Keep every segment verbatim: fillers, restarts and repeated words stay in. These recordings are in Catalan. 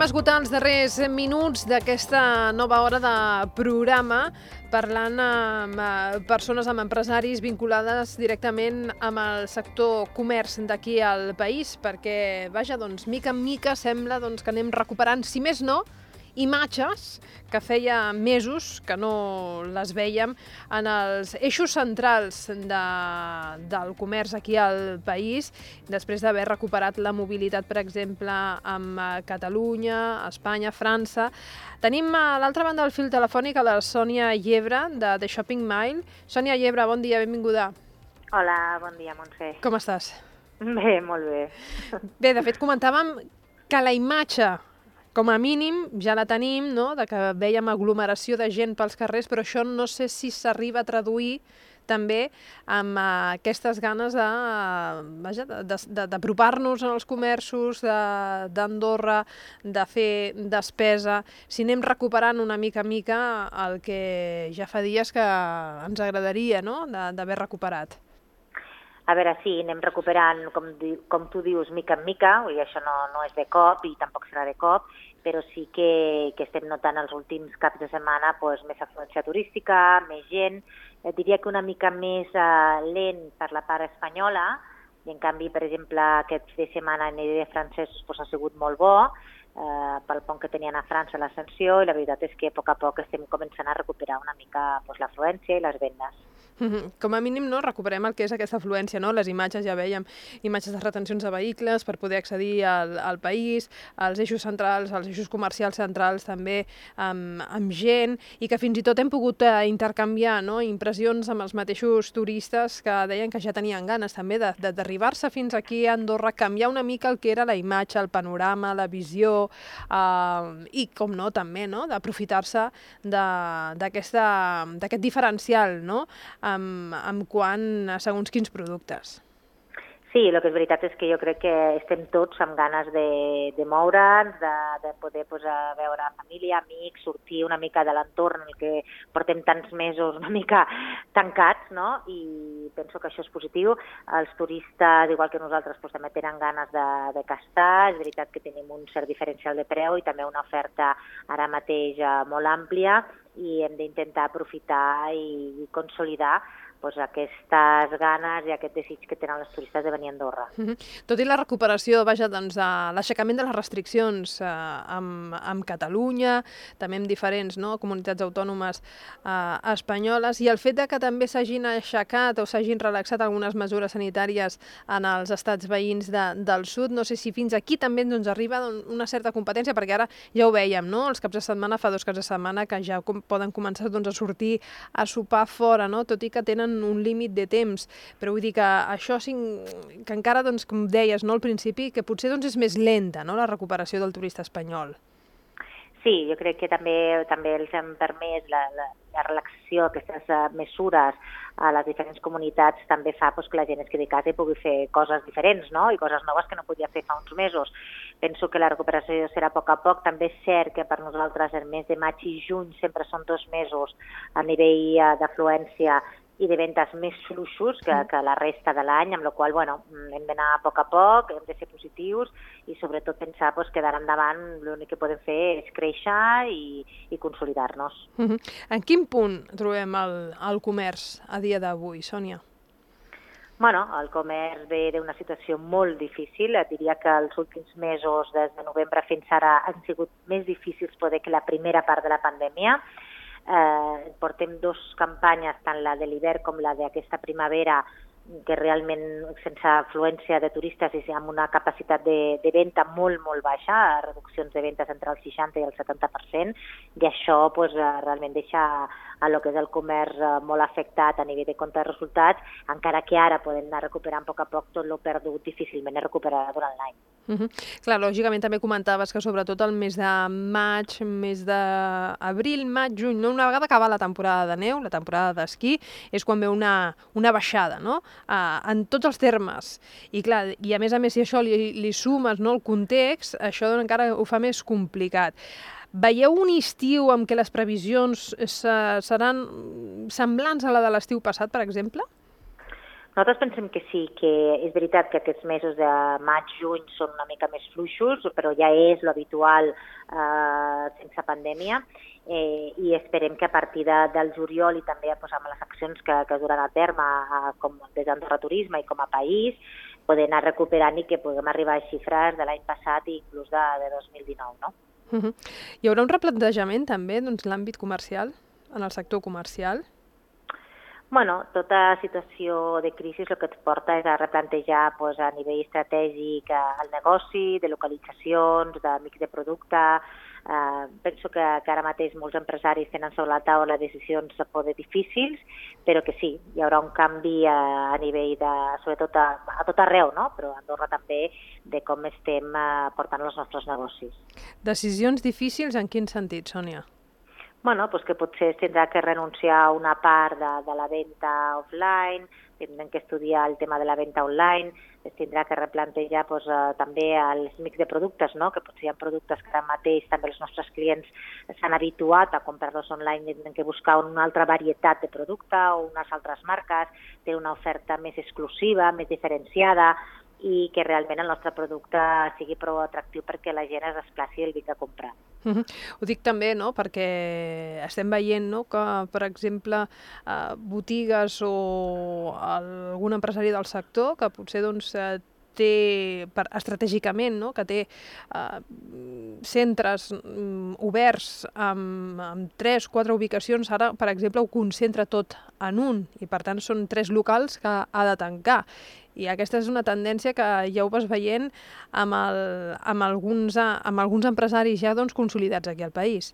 Anem a esgotar els darrers minuts d'aquesta nova hora de programa parlant amb persones, amb empresaris vinculades directament amb el sector comerç d'aquí al país, perquè, vaja, doncs, mica en mica sembla doncs, que anem recuperant, si més no, imatges que feia mesos que no les vèiem en els eixos centrals de, del comerç aquí al país, després d'haver recuperat la mobilitat, per exemple, amb Catalunya, Espanya, França. Tenim a l'altra banda del fil telefònic a la Sònia Llebre, de The Shopping Mile. Sònia Llebre, bon dia, benvinguda. Hola, bon dia, Montse. Com estàs? Bé, molt bé. Bé, de fet, comentàvem que la imatge, com a mínim, ja la tenim, no?, de que vèiem aglomeració de gent pels carrers, però això no sé si s'arriba a traduir també amb uh, aquestes ganes de, uh, vaja, d'apropar-nos als comerços d'Andorra, de, de fer despesa, si anem recuperant una mica a mica el que ja fa dies que ens agradaria, no?, d'haver recuperat. A veure, sí, anem recuperant, com, com tu dius, mica en mica, i això no, no és de cop i tampoc serà de cop, però sí que, que estem notant els últims caps de setmana pues, més afluència turística, més gent. Et diria que una mica més uh, lent per la part espanyola, i en canvi, per exemple, aquest fi de setmana a nivell de francesos pues, ha sigut molt bo, uh, pel pont que tenien a França l'ascensió, i la veritat és que a poc a poc estem començant a recuperar una mica pues, l'afluència i les vendes. Com a mínim, no, recuperem el que és aquesta afluència, no? Les imatges, ja vèiem, imatges de retencions de vehicles per poder accedir al, al país, als eixos centrals, als eixos comercials centrals també amb, amb gent, i que fins i tot hem pogut eh, intercanviar, no?, impressions amb els mateixos turistes que deien que ja tenien ganes també d'arribar-se fins aquí a Andorra, canviar una mica el que era la imatge, el panorama, la visió, eh, i com no, també, no?, d'aprofitar-se d'aquest diferencial, no?, Amb, amb quant a segons quins productes. Sí, el que és veritat és que jo crec que estem tots amb ganes de, de moure'ns, de, de poder pues, veure família, amics, sortir una mica de l'entorn en el que portem tants mesos una mica tancats, no? I penso que això és positiu. Els turistes, igual que nosaltres, pues, també tenen ganes de, de castar. És veritat que tenim un cert diferencial de preu i també una oferta ara mateix molt àmplia, i hem d'intentar aprofitar i, i consolidar pues, aquestes ganes i aquest desig que tenen els turistes de venir a Andorra. Mm-hmm. Tot i la recuperació, vaja, doncs, de l'aixecament de les restriccions eh, amb, amb Catalunya, també amb diferents no, comunitats autònomes eh, espanyoles, i el fet de que també s'hagin aixecat o s'hagin relaxat algunes mesures sanitàries en els estats veïns de, del sud, no sé si fins aquí també doncs, arriba una certa competència, perquè ara ja ho vèiem, no? Els caps de setmana, fa dos caps de setmana, que ja com, poden començar doncs, a sortir a sopar fora, no? Tot i que tenen un límit de temps, però vull dir que això que encara, doncs, com deies no, al principi, que potser doncs, és més lenta, no, la recuperació del turista espanyol. Sí, jo crec que també també els hem permès la, la, la relaxació d'aquestes uh, mesures a les diferents comunitats també fa pues, que la gent es quedi a casa i pugui fer coses diferents, no? I coses noves que no podia fer fa uns mesos. Penso que la recuperació serà a poc a poc. També és cert que per nosaltres el mes de maig i juny sempre són dos mesos a nivell uh, d'afluència i de ventes més fluixos que, que la resta de l'any, amb la qual cosa, bueno, hem d'anar a poc a poc, hem de ser positius i sobretot pensar pues, que d'ara endavant l'únic que podem fer és créixer i, i consolidar-nos. Uh-huh. En quin punt trobem el, el comerç a dia d'avui, Sònia? Bueno, el comerç ve d'una situació molt difícil. Et diria que els últims mesos, des de novembre fins ara, han sigut més difícils poder que la primera part de la pandèmia. Eh, portem dos campanyes, tant la de l'hivern com la d'aquesta primavera, que realment sense afluència de turistes i amb una capacitat de, de venda molt, molt baixa, reduccions de vendes entre el seixanta i el setanta per cent, i això pues, realment deixa a lo que és el comerç molt afectat a nivell de compte de resultats, encara que ara podem anar recuperant a poc a poc tot el perdut, difícilment es recuperarà durant l'any. Uh -huh. Clar, lògicament també comentaves que sobretot el mes de maig, mes d'abril, maig, juny, no? Una vegada acaba la temporada de neu, la temporada d'esquí, és quan ve una, una baixada, no? Uh, en tots els termes. I clar, i a més a més si això li, li sumes no, el context, això encara ho fa més complicat. Veieu un estiu en què les previsions seran semblants a la de l'estiu passat, per exemple? Nosaltres pensem que sí, que és veritat que aquests mesos de maig, juny són una mica més fluixos, però ja és l'habitual eh, sense pandèmia, eh, i esperem que a partir de, del juliol i també pues, amb les accions que, que duran a terme eh, com des d'Andorra Turisme i com a país, poder anar recuperant i que puguem arribar a xifres de l'any passat i inclús de, de dos mil dinou, no? Uh -huh. Hi haurà un replantejament també doncs, l'àmbit comercial, en el sector comercial? Bueno, tota situació de crisi el que et porta és a replantejar pues, a nivell estratègic el negoci, de localitzacions, de mix de producte. Eh, penso que, que ara mateix molts empresaris tenen sobre la taula decisions a poder difícils, però que sí, hi haurà un canvi a, a nivell de, sobretot a, a tot arreu, no? Però a Andorra també, de com estem eh, portant els nostres negocis. Decisions difícils en quin sentit, Sònia? Bueno, pues que potser tindrà que renunciar a una part de, de la venda offline, tindrem que estudiar el tema de la venda online, es tindrà que replantejar pues, eh, també els mix de productes, no? Que potser hi ha productes que ara mateix també els nostres clients s'han habituat a comprar-los online i tindrem que buscar una altra varietat de producte o unes altres marques, té una oferta més exclusiva, més diferenciada, i que realment el nostre producte sigui prou atractiu perquè la gent es desplaci el vinc a comprar. Uh -huh. Ho dic també, no?, perquè estem veient, no?, que, per exemple, eh, botigues o algun empresari del sector que potser doncs, eh, té, per, estratègicament, no?, que té eh, centres mm, oberts amb, amb tres, quatre ubicacions, ara, per exemple, ho concentra tot en un, i per tant són tres locals que ha de tancar. I aquesta és una tendència que ja ho vas veient amb, el, amb, alguns, amb alguns empresaris ja doncs, consolidats aquí al país.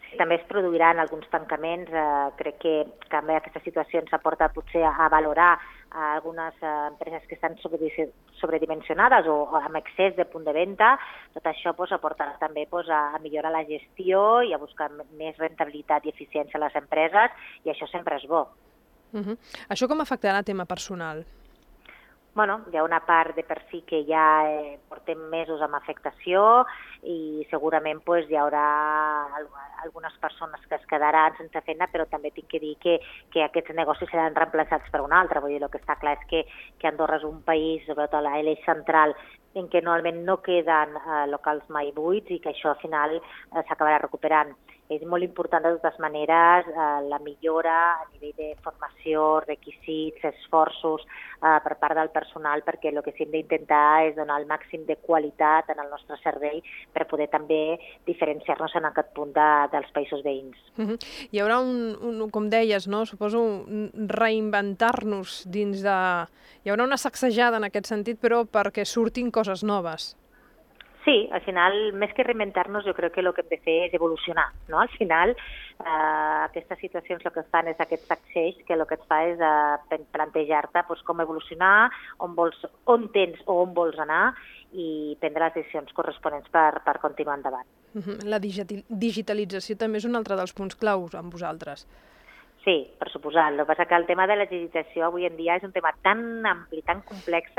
Sí, també es produiran alguns tancaments. Eh, crec que també aquesta situació ens aporta potser a, a valorar a algunes eh, empreses que estan sobredimensionades o, o amb excés de punt de venda. Tot això pues, aportarà també pues, a, a millorar la gestió i a buscar més rentabilitat i eficiència a les empreses, i això sempre és bo. Uh -huh. Això com afectarà el tema personal? Bueno, hi ha una part de per si que ja eh, portem mesos amb afectació i segurament pues, hi haurà algunes persones que es quedaran sense feina, però també tinc que dir que, que aquests negocis seran reemplaçats per un altre. Vull dir, el que està clar és que, que Andorra és un país, sobretot a l'eix central, en què normalment no queden eh, locals mai buits i que això al final eh, s'acabarà recuperant. És molt important, de totes maneres, eh, la millora a nivell de formació, requisits, esforços eh, per part del personal, perquè el que sí hem d'intentar és donar el màxim de qualitat en el nostre servei per poder també diferenciar-nos en aquest punt de, dels països veïns. Uh -huh. Hi haurà un, un, com deies, no? Suposo un reinventar-nos dins de... Hi haurà una sacsejada en aquest sentit, però perquè surtin coses noves. Sí, al final, més que reinventar-nos, jo crec que el que hem de fer és evolucionar, no? Al final, eh, aquestes situacions el que fan és aquest sacseig, que el que et fa és eh, plantejar-te pues, com evolucionar, on, vols, on tens o on vols anar i prendre les decisions corresponents per, per continuar endavant. Uh -huh. La digitalització també és un altre dels punts claus amb vosaltres. Sí, per suposat. El que passa que el tema de la digitalització avui en dia és un tema tan ampli, tan complex,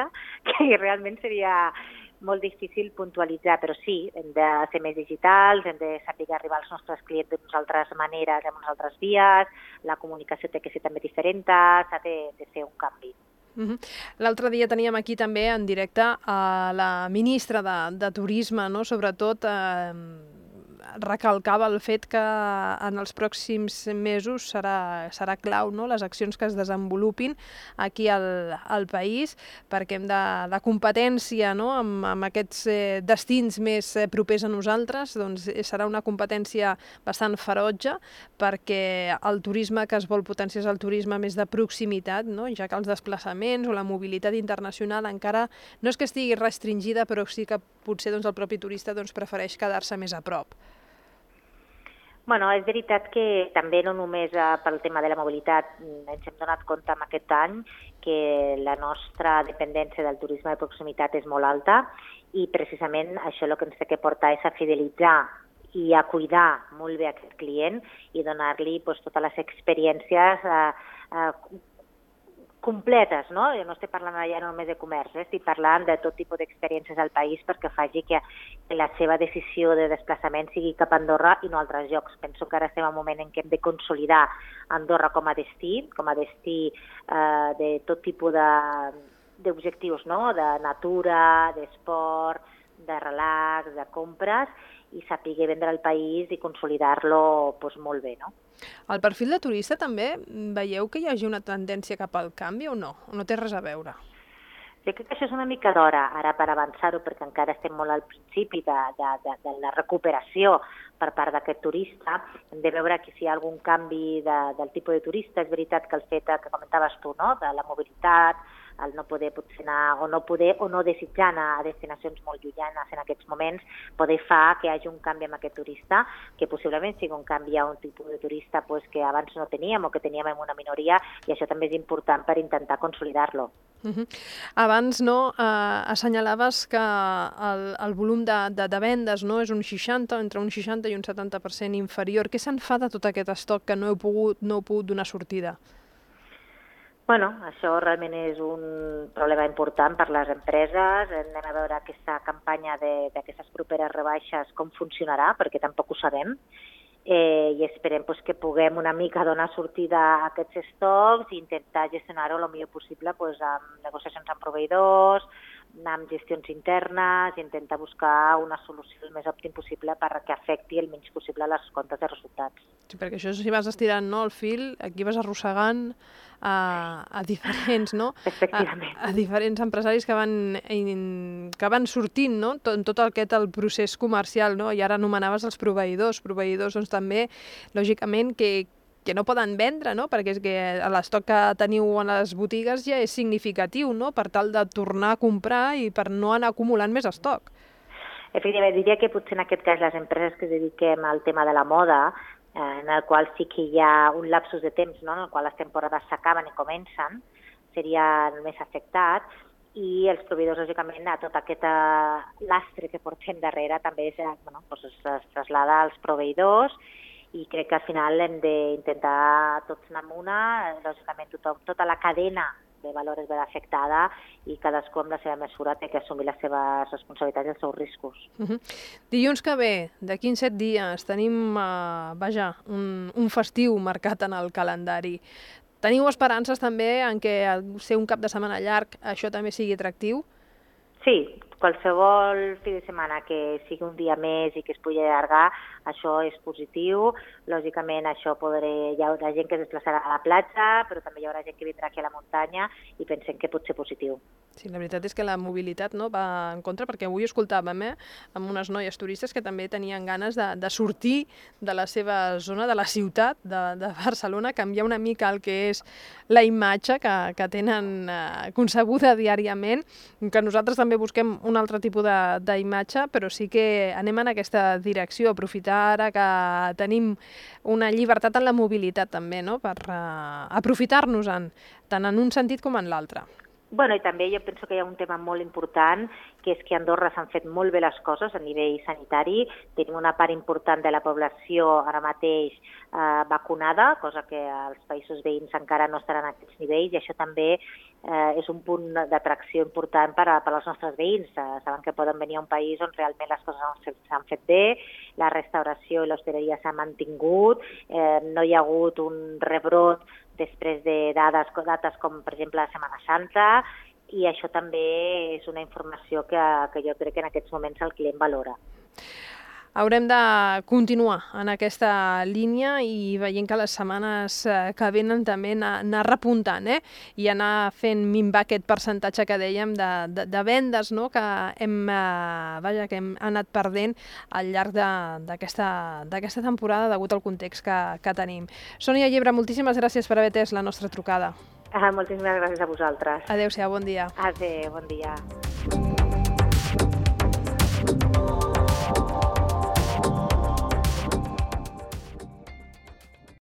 que realment seria molt difícil puntualitzar, però sí, hem de ser més digitals, hem de saber arribar als nostres clients d'unes altres maneres, amb unes altres vies, la comunicació té que ser també diferent, s'ha de, de fer un canvi. Uh -huh. L'altre dia teníem aquí també en directe a la ministra de, de Turisme, no? Sobretot eh, recalcava el fet que en els pròxims mesos serà, serà clau, no? Les accions que es desenvolupin aquí al, al país, perquè hem de, de competència, no? amb, amb aquests eh, destins més eh, propers a nosaltres, doncs serà una competència bastant ferotge, perquè el turisme que es vol potenciar és el turisme més de proximitat, no? Ja que els desplaçaments o la mobilitat internacional encara no és que estigui restringida, però sí que potser doncs, el propi turista doncs, prefereix quedar-se més a prop. Bueno, és veritat que també no només eh, pel tema de la mobilitat ens hem donat compte en aquest any que la nostra dependència del turisme de proximitat és molt alta i precisament això el que ens té que portar és a fidelitzar i a cuidar molt bé aquest client i donar-li pues, totes les experiències eh, eh, completes, no? Jo no estic parlant ja només de comerç, eh? Estic parlant de tot tipus d'experiències al país perquè faci que la seva decisió de desplaçament sigui cap a Andorra i no a altres llocs. Penso que ara estem en un moment en què hem de consolidar Andorra com a destí, com a destí eh, de tot tipus de d'objectius, no? De natura, d'esport, de relax, de compres, i saber vendre el país i consolidar-lo pues, molt bé, no? El perfil de turista també veieu que hi hagi una tendència cap al canvi o no? O no té res a veure? Jo crec que això és una mica d'hora ara per avançar-ho, perquè encara estem molt al principi de, de, de, de la recuperació per part d'aquest turista. Hem de veure que si hi ha algun canvi de, del tipus de turista. És veritat que el fet que comentaves tu, no? De la mobilitat, el no poder potser anar o no poder o no desitjar anar a destinacions molt llunyanes en aquests moments, poder fa que hi hagi un canvi amb aquest turista, que possiblement sigui un canvi a un tipus de turista pues, que abans no teníem o que teníem en una minoria, i això també és important per intentar consolidar-lo. Uh -huh. Abans no, eh, assenyalaves que el, el volum de, de, de vendes no, és un seixanta, entre un seixanta i un setanta per cent inferior. Què se'n fa de tot aquest estoc que no heu pogut, no heu pogut donar sortida? Bueno, això realment és un problema important per les empreses. Anem a veure aquesta campanya d'aquestes properes rebaixes com funcionarà, perquè tampoc ho sabem. Eh, i esperem pues, que puguem una mica donar sortida a aquests estocs i intentar gestionar-ho el millor possible pues, amb negociacions amb proveïdors, amb gestions internes, i intentar buscar una solució el més òptim possible perquè afecti el menys possible les comptes de resultats. Sí, perquè això si vas estirant no, el fil, aquí vas arrossegant a, a diferents, no? Efectivament. A, a diferents empresaris que van, in, que van sortint no? tot, tot aquest el procés comercial, no? I ara anomenaves els proveïdors, proveïdors doncs, també, lògicament, que, que no poden vendre, no? Perquè és que l'estoc que teniu a les botigues ja és significatiu, no? Per tal de tornar a comprar i per no anar acumulant més estoc. Efectivament, diria que potser en aquest cas les empreses que es dediquem al tema de la moda, en el qual sí que hi ha un lapsus de temps, no? En el qual les temporades s'acaben i comencen, serien més afectats, i els proveïdors, lògicament, a tot aquest lastre que portem darrere també és, bueno, doncs es trasllada als proveïdors, i crec que al final hem d'intentar tots anar amb una, lògicament tothom, tota la cadena de valor és ben afectada i cadascú amb la seva mesura té que assumir les seves responsabilitats i els seus riscos. Uh -huh. Dilluns que ve, d'aquí en set dies, tenim uh, vaja, un, un festiu marcat en el calendari. Teniu esperances també en què al ser un cap de setmana llarg això també sigui atractiu? Sí, qualsevol fi de setmana que sigui un dia més i que es pugui allargar, això és positiu. Lògicament, això podré, hi haurà gent que es desplaçarà a la platja, però també hi haurà gent que vindrà aquí a la muntanya i pensem que pot ser positiu. Sí, la veritat és que la mobilitat no, va en contra, perquè avui escoltàvem eh, amb unes noies turistes que també tenien ganes de, de sortir de la seva zona, de la ciutat de, de Barcelona, canviar una mica el que és la imatge que, que tenen eh, concebuda diàriament, que nosaltres també busquem un altre tipus d'imatge, però sí que anem en aquesta direcció, aprofitar ara que tenim una llibertat en la mobilitat també, no? Per uh, aprofitar-nos-en, tant en un sentit com en l'altre. Bueno, i també jo penso que hi ha un tema molt important, que és que a Andorra s'han fet molt bé les coses a nivell sanitari. Tenim una part important de la població ara mateix eh, vacunada, cosa que als països veïns encara no estaran a aquests nivells, i això també eh, és un punt d'atracció important per, a, per als nostres veïns. Eh, saben que poden venir a un país on realment les coses s'han fet bé, la restauració i l'hostaleria s'ha mantingut, eh, no hi ha hagut un rebrot després de dades, dates com, per exemple, la Setmana Santa, i això també és una informació que, que jo crec que en aquests moments el client valora. Haurem de continuar en aquesta línia i veient que les setmanes que venen també anar, anar repuntant eh? I anar fent minvar aquest percentatge que dèiem de, de, de vendes no? Que hem, eh, vaja, que hem anat perdent al llarg d'aquesta d'aquesta temporada degut al context que, que tenim. Sònia Llebre, moltíssimes gràcies per haver atès la nostra trucada. Ah, moltíssimes gràcies a vosaltres. Adéu-siau, bon dia. Adéu, bon dia.